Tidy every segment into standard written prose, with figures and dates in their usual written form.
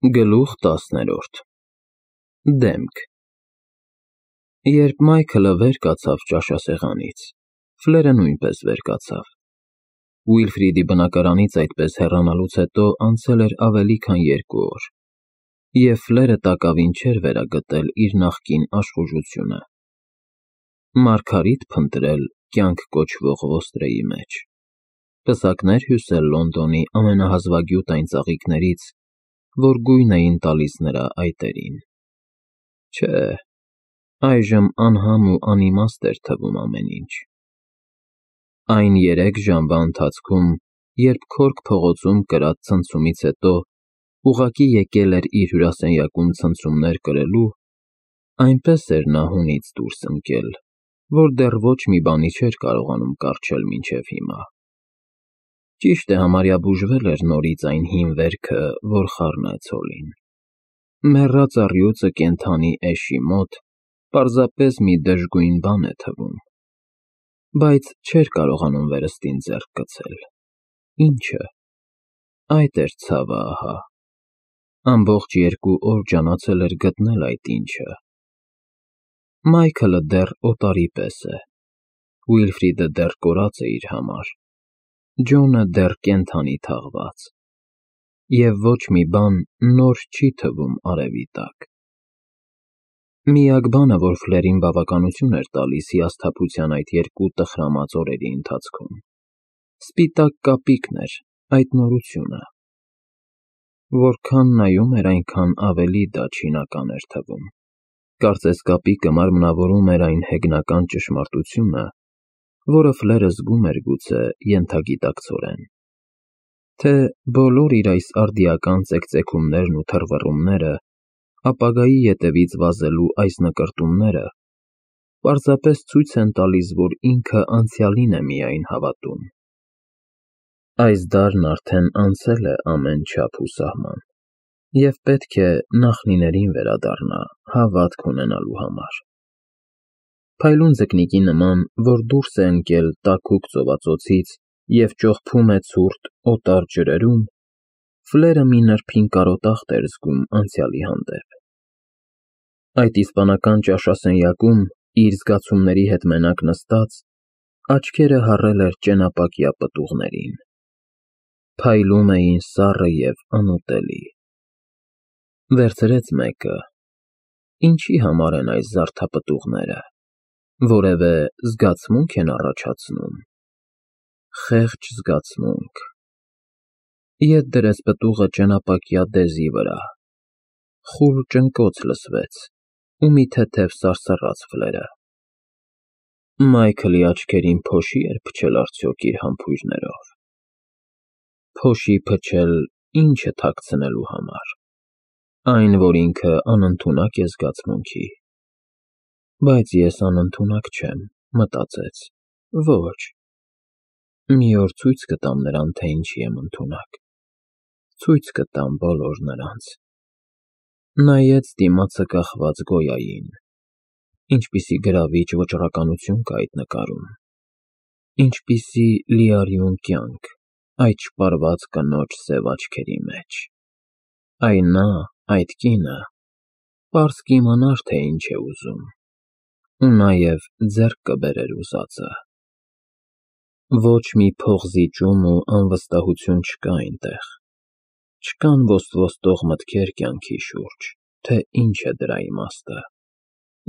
Գլուխ 10-րդ Դեմք Երբ Մայքլը վեր կացավ ճաշասեղանից, Ֆլերը նույնպես վեր կացավ։ Ուիլֆրիդի բնակարանից այդպես հեռանալուց հետո անցել էր ավելի քան 2 օր, և Ֆլերը տակավին չէր վերագտել իր նախկին աշխուժությունը։ Մարգարիտ փնտրել կյանք կոչվող ոստրեի մեջ, պսակներ հյուսել Լոնդոնի ամենահազվագյուտ այն ծաղիկներից, որ գույն էին տալիս նրա այտերին։ Չէ, այժմ անհամ ու անիմաստ էր թվում ամեն ինչ։ Այն 3 ժամվա ընթացքում, երբ Քորք փողոցում կրած ցնցումից հետո ուղղակի եկել էր իր հյուրասենյակում ցնցումներ կրելու, այնպես էր նա հունից դուրս ընկել, որ դեռ ոչ մի բանի չէր կարողանում կառչել մինչև հիմա։ Ճիշտ է, համարյա բուժվել էր նորից այն հին վերքը, որ խառնեց հոլին։ Մեռած առյուծը կենդանի էշի մոտ պարզապես մի դժգույն բան է թվում, բայց չէր կարողանում վերստին ձեռք գցել։ Ի՞նչը։ Այդ էր ցավը ահա։ Ամբողջ 2 օր ջանացել էր գտնել այդ ինչը։ Մայքլը դեռ օտարի պես է, Ուիլֆրիդը դեռ կորած է իր համար, Ջոնը դեռ կենդանի թաղված, և ոչ մի բան նոր չի թվում արևի տակ։ Միակ բանը, որ Ֆլերին բավականություն էր տալիս հիասթափության այդ 2 տխրամած օրերի ընթացքում, սպիտակ կապիկն էր, այդ նորությունը։ Որքան նայում էր, այնքան ավելի դա չինական էր թվում։ Կարծես կապիկը մարմնավորում էր այն հեգնական ճշմարտությունը, որը Ֆլերը զգում էր գուցե ենթագիտակցորեն, թե բոլոր իր այս արդիական ծեքծեքումներն ու թռվռումները, ապագայի ետևից վազելու այս նկրտումները պարզապես ցույց են տալիս, որ ինքը անցյալին է միայն հավատում։ Այս դարն արդեն անցել է ամեն չափ ու սահման, և պետք է նախնիներին վերադառնա հավատք ունենալու համար։ Փայլուն ձկնիկի նման, որ դուրս է ընկել տաքուկ ծովածոցից և ճողփում է ցուրտ, օտար ջրերում, Ֆլերը մի նրբին կարոտախտ էր զգում անցյալի հանդեպ։ Այդ իսպանական ճաշասենյակում, իր զգացումների հետ մենակ նստած, աչքերը հառել էր ճենապակյա պտուղներին։ Փայլում էին սառը և անուտելի։ Վերցրեց մեկը։ Ինչի համար են այս զարդապտուղները, որևէ զգացմունք են առաջացնում։ Խեղճ զգացմունք։ Ետ դրեց պտուղը ճենապակյա դեզի վրա։ Խուլ ճնկոց լսվեց, ու մի թեթև սարսռաց Ֆլերը։ Մայքլի աչքերին փոշի էր փչել արդյոք իր համբույրներով։ Փոշի փչել ի՞նչը թաքցնելու համար։ Այն, որ ինքը անընդունակ է զգացմունքի։ Բայց ես անընդունակ չեմ, մտածեց։ Ոչ։ Մի օր ցույց կտամ նրան, թե ինչի եմ ընդունակ։ Ցույց կտամ բոլոր նրանց։ Նայեց դիմացը կախված Գոյային։ Ինչպիսի գրավիչ վճռականություն կա այդ նկարում։ Ինչպիսի լիարյուն կյանք այդ շպարված կնոջ սև աչքերի մեջ։ Այն նա, այդ կինը, պարզ կիմանար, թե ինչ է ուզում, ու նաև ձեռք կբերեր ուզածը։ Ոչ մի փոխզիջում ու անվստահություն չկա այնտեղ։ Չկան ոստվոստող մտքեր կյանքի շուրջ, թե ինչ է դրա իմաստը,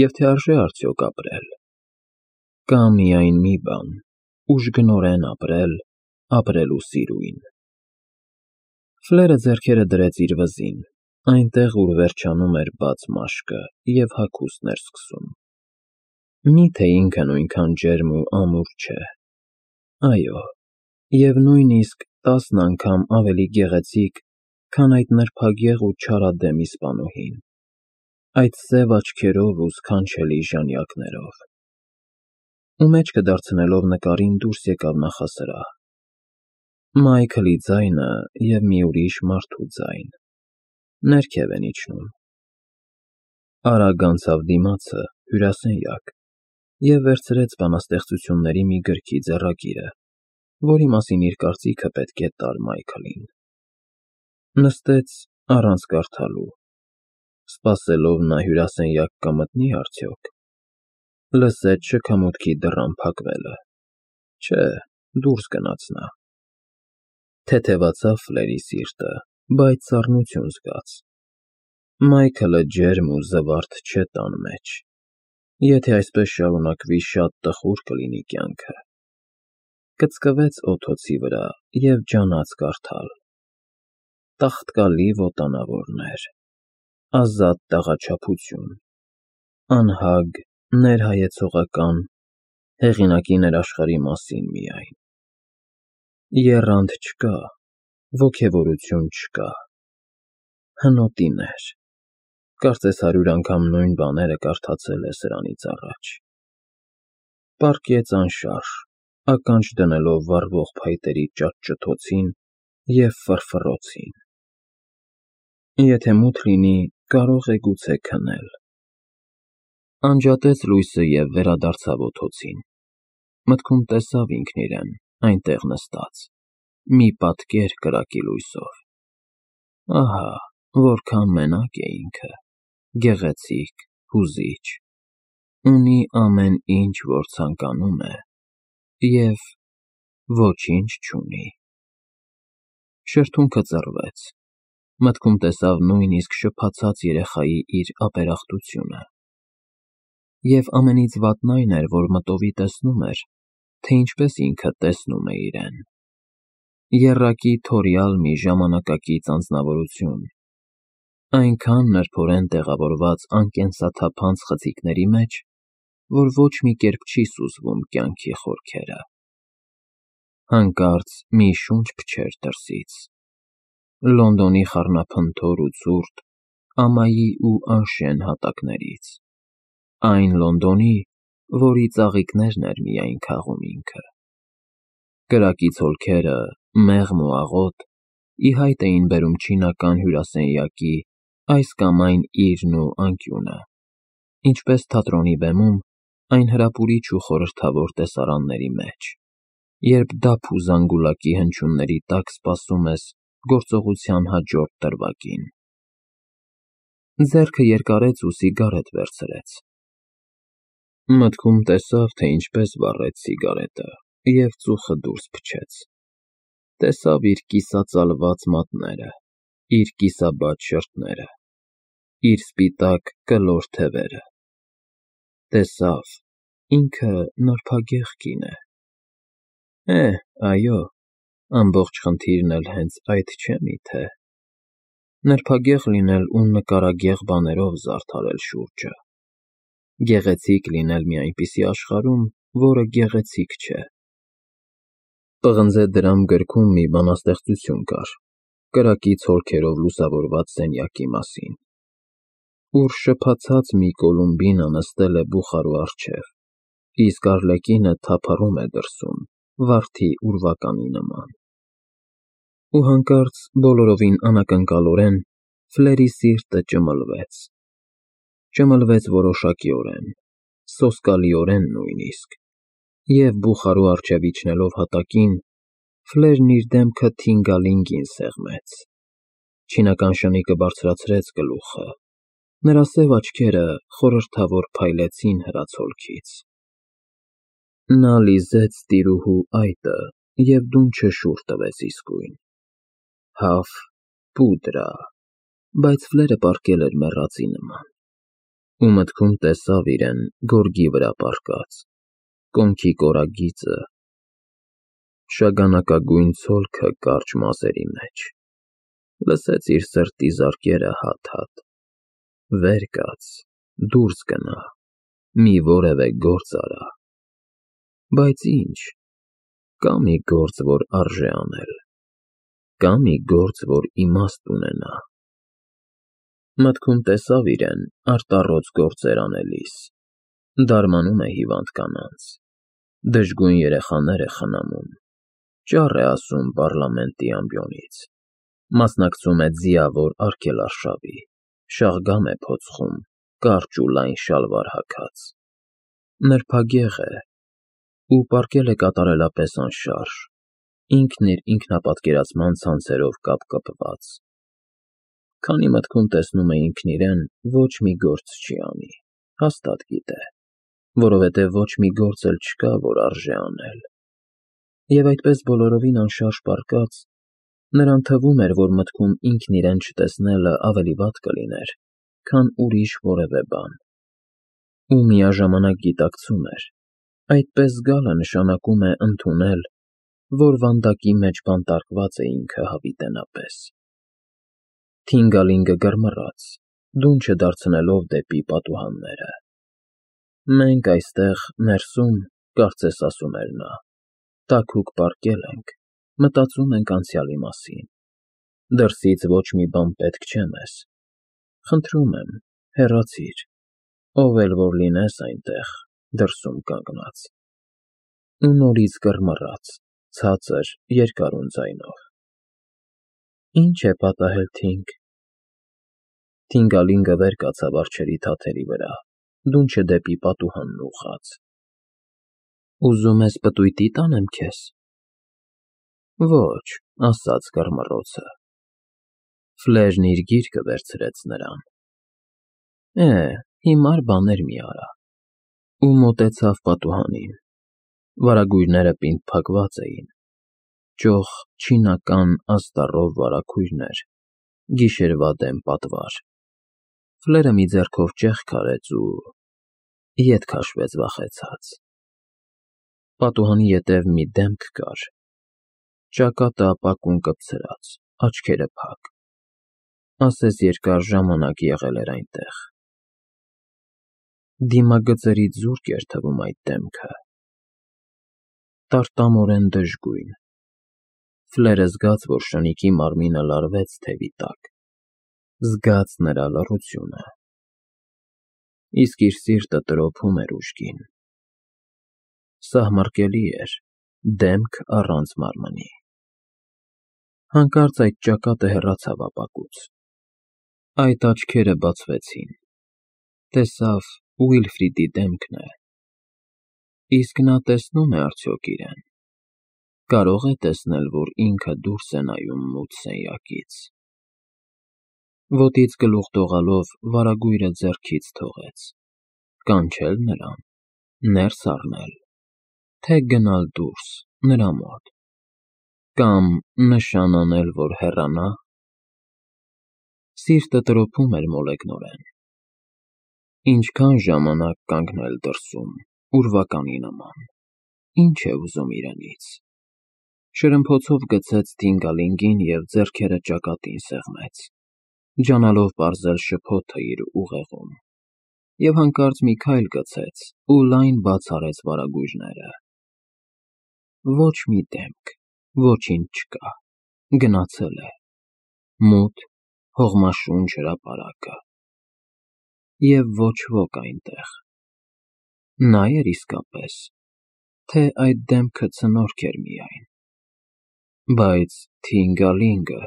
և թե արժե արդյոք ապրել։ Կա միայն մի բան՝ ուժգնորեն ապրել, ապրելու սիրույն։ Ֆլերը ձեռքերը դրեց իր վզին, այնտեղ, ուր վերջանում էր բաց մաշկը և հագուստն էր սկսում։ Մի՞թե ինքը նույնքան ջերմ ու ամուր չէ։ Այո, և նույնիսկ 10 անգամ ավելի գեղեցիկ, քան այդ նրբագեղ ու չարադեմ իսպանուհին, այդ սև աչքերով ու սքանչելի ժանյակներով։ Ու մեջքը դարձնելով նկարին դուրս եկավ նախասրահ։ Մայքլի ձայնը և մի ուրիշ մարդու ձայն։ Ներքև են իջնում։ Արագ անցավ դիմացը, հյուրասենյակ, և վերցրեց բանաստեղծությունների մի գրքի ձեռագիրը, որի մասին իր կարծիքը պետք է տար Մայքլին։ Նստեց առանց կարդալու, սպասելով նա հյուրասենյակ կմտնի արդյոք, լսեց շքամուտքի դռան փակվելը, չէ, դուրս գնաց նա, թեթևացավ Ֆլերի սիրտը, բայց սառնություն զգաց, Մայքլը ջերմ ու զվարթ չէ տան մեջ, եթե այսպես շարունակվի շատ տխուր կլինի կյանքը, կծկվեց օդոցի վրա և ջանաց կարդալ, տաղտկալի ոտանավորներ, ազատ տեղաչափություն, անհագ, ներհայեցողական, հեղինակի ներաշխարհի մասին միայն, եռանդ չկա, ոգևորություն չկա, հնոտիներ, կարծես 100 անգամ նույն բաները կարդացել է սրանից առաջ, պառկեց անշարժ, ականջ դնելով վառվող փայտերի ճտճթոցին և ֆռֆռոցին, եթե մութ լինի, կարող է գուցե քնել, անջատեց լույսը և վերադարձավ օդոցին, մտքում տեսավ ինքն իրեն, այնտեղ նստած, մի պատկեր կրակի լույսով, ահա, որքան մենակ է ինքը, գեղեցիկ, հուզիչ, ունի ամեն ինչ, որ ցանկանում է, և ոչինչ չունի, շրթունքը ծռվեց, մտքում տեսավ նույնիսկ շփացած երեխայի իր ապերախտությունը, և ամենից վատն այն էր, որ մտովի տեսնում էր, թե ինչպես ինքը տեսնում է իրեն, եռակի թորյալ մի ժամանակակից անձնավորություն, այնքան նրբորեն տեղավորված անկենսաթափանց խցիկների մեջ, որ ոչ մի կերպ չի սուզվում կյանքի խորքերը, հանկարծ մի շունչ փչեր դրսից, Լոնդոնի խառնափնթոր ու ցուրտ, ամայի ու անշեն հատակներից, այն Լոնդոնի, որի ծաղիկներն էր միայն քաղում ինքը, կրակի ցոլքերը, մեղմ ու աղոտ, ի հայտ էին բերում չինական հյուրասենյակի այս կամ այն իրն ու անկյունը, ինչպես թատրոնի բեմում, այն հրապուրիչ ու խորհրդավոր տեսարանների մեջ, երբ դափ ու զանգուլակի հնչյունների տակ սպասում ես գործողության հաջորդ դրվագին, ձեռքը երկարեց ու սիգարետ վերցրեց, մտքում տեսավ, թե ինչպես վառեց սիգարետը և ծուխը դուրս փչեց, տեսավ իր կիսածալված մատները, իր կիսաբաց շրթները, իր սպիտակ կլոր թևերը, տեսավ, ինքը նրբագեղ կին է, այո, ամբողջ խնդիրն էլ հենց այդ չէ միթե, նրբագեղ լինել ու նկարագեղ բաներով զարդարել շուրջը, գեղեցիկ լինել մի այնպիսի աշխարհում, որը գեղեցիկ չէ, պղնձե դրամ գրքում մի բանաստեղծություն կար, կրակի ցոլքերով լուսավորված սենյակի մասին, ուր շփացած մի Կոլումբինա նստել է բուխարու առջև, իսկ Արլեկինը թափառում է դրսում, վարդի ուրվականի նման, ու հանկարծ բոլորովին անակնկալորեն Ֆլերի սիրտը ճմլվեց որոշակիորեն, սոսկալիորեն նույնիսկ, և բուխարու առջև իջնելով հատակին, Ֆլերն իր դեմքը թինգալինգին սեղմեց, չինական շնիկը բարձրացրեց գլուխը, նրա սև աչքերը խորհրդավոր փայլեցին հրացոլքից, նա լիզեց տիրուհու այտը և դունչը շուռ տվեց իսկույն, հավ, պուդրա, բայց Ֆլերը պառկել էր մեռածի նման, ու մտքում տեսավ իրեն գորգի վրա պառկած, կոնքի կորագիծը, շագանակագույն ցոլքը կարճ մազերի մեջ, լսեց իր սրտի զարկերը հատ-հատ, վեր կաց, դուրս գնա, մի որևէ գործ արա, բայց ինչ, կա մի գործ, որ արժե անել, կա մի գործ, որ իմաստ ունենա, մտքում տեսավ իրեն արտառոց գործեր անելիս, դարմանում է հիվանդ կանանց, դժգույն երեխաներ է խնամում, ճառ է ասում պառլամենտի ամբիոնից, մասնակցում է ձիավոր արգելարշավի, շաղգամ է փոցխում, կարճ ու լայն շալվար հագած, նրբագեղ է ու պառկել է կատարելապես անշարժ, ինքն իր ինքնապատկերացման ցանցերով կապկպված, Քանի մտքում տեսնում է ինքն իրեն, ոչ մի գործ չի անի, հաստատ գիտե, որովհետև ոչ մի գործ էլ չկա, որ արժե անել։ Եվ այդպես բոլորովին անշարժ պառկած, նրան թվում էր, որ մտքում ինքն իրեն չտեսնելը ավելի վատ կլիներ, քան ուրիշ որևէ բան։ Ու միաժամանակ գիտակցում էր, այդպես զգալը նշանակում է ընդունել, որ վանդակի մեջ բանտարկված է ինքը հավիտենապես։ Թինգալինգը գրմռաց, դուն չդարձնելով դեպի պատուհանները։ Մենք այստեղ, ներսում, կարծես ասում էր նա, տաքուկ պառկել ենք, մտածում ենք անցյալի մասին։ Դրսից ոչ մի բան պետք չէ մեզ։ Խնդրում եմ, հեռացիր, ով էլ որ լինես այնտեղ, դրսում կանգնած։ Ու նորից գրմռաց, ցածր, երկարուն ձայնով։ Ինչ է պատահել, Թինգ։ Թինգալինգը վեր կացավ արջերի թաթերի վրա, դունչը դեպի պատուհանն ուղղած։ Ուզում ես պտույտի տանեմ քեզ։ Ոչ, ասաց գրմռոցը։ Ֆլերն իր գիրկը վերցրեց նրան։ Հիմար բաներ մի արա։ Ու մոտեցավ պատուհանին։ Վարագույրները պինդ-փակված էին։ Ճոխ չինական աստառով վարագույրներ, գիշերվա դեմ պատվար։ Ֆլերը մի ձեռքով ճեղք արեց ու ետ քաշվեց վախեցած։ Պատուհանի ետև մի դեմք կար։ Ճակատը ապակուն կպցրած, աչքերը փակ։ Ասես երկար ժամանակ եղել էր այնտեղ։ Դիմագծերից զուրկ էր թվում այդ դեմքը։ Տարտամորեն դժգույն։ Ֆլերը զգաց, որ շնիկի մարմինը լարվեց թևի տակ, զգաց նրա լռությունը։ Իսկ իր սիրտը տրոփում էր ուժգին։ Սահմռկելի էր, դեմք առանց մարմնի։ Հանկարծ այդ ճակատը հեռացավ ապակուց։ Այդ աչքերը բացվեցին։ Տեսավ Ուիլֆրիդի դեմքն է։ Իսկ նա տեսնում է արդյոք իրեն։ Կարող է տեսնել, որ ինքը դուրս է նայում մութ սենյակից։ Ոտից գլուխ դողալով վարագույրը ձեռքից թողեց։ Կանչել նրան, ներս առնել, թե գնալ դուրս, նրա մոտ, կամ նշան անել, որ հեռանա։ Սիրտը տրոփում էր մոլեգնորեն։ Ինչքան ժամանակ կանգնել դրսում, ուրվականի նման, ինչ է ուզում իրենից։ Շրմփոցով գցեց Թինգալինգին և ձեռքերը ճակատին սեղմեց, ջանալով պարզել շփոթը իր ուղեղում, և հանկարծ մի քայլ գցեց ու լայն բաց արեց վարագույրները։ Ոչ մի դեմք, ոչինչ չկա, գնացել է, մութ, հողմաշունչ հրապարակը։ Եվ ոչ ոք այնտեղ։ Նա էր իսկապես, թե այդ դեմքը ցնորք էր միայն։ Բայց Թինգալինգը,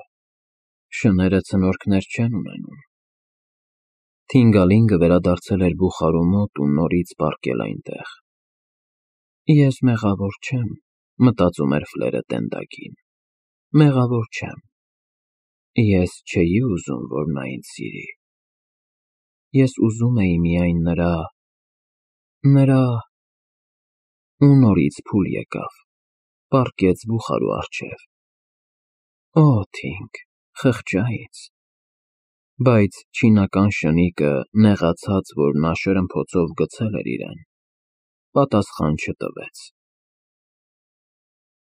շները ցնորքներ չեն ունենում։ Թինգալինգը վերադարձել էր բուխարու մոտ ու նորից պառկել այնտեղ։ Ես մեղավոր չեմ, մտածում էր Ֆլերը տենդակին։ Մեղավոր չեմ։ Ես չէի ուզում, որ նա ինձ սիրի։ Ես ուզում էի միայն նրա… Ու նորից փուլ եկավ, պառկեց բուխարու առջև։ Օ, Թինգ, խղճա ինձ։ Բայց չինական շնիկը, նեղացած, որ նա շրմփոցով գցել էր իրեն, պատասխան չտվեց։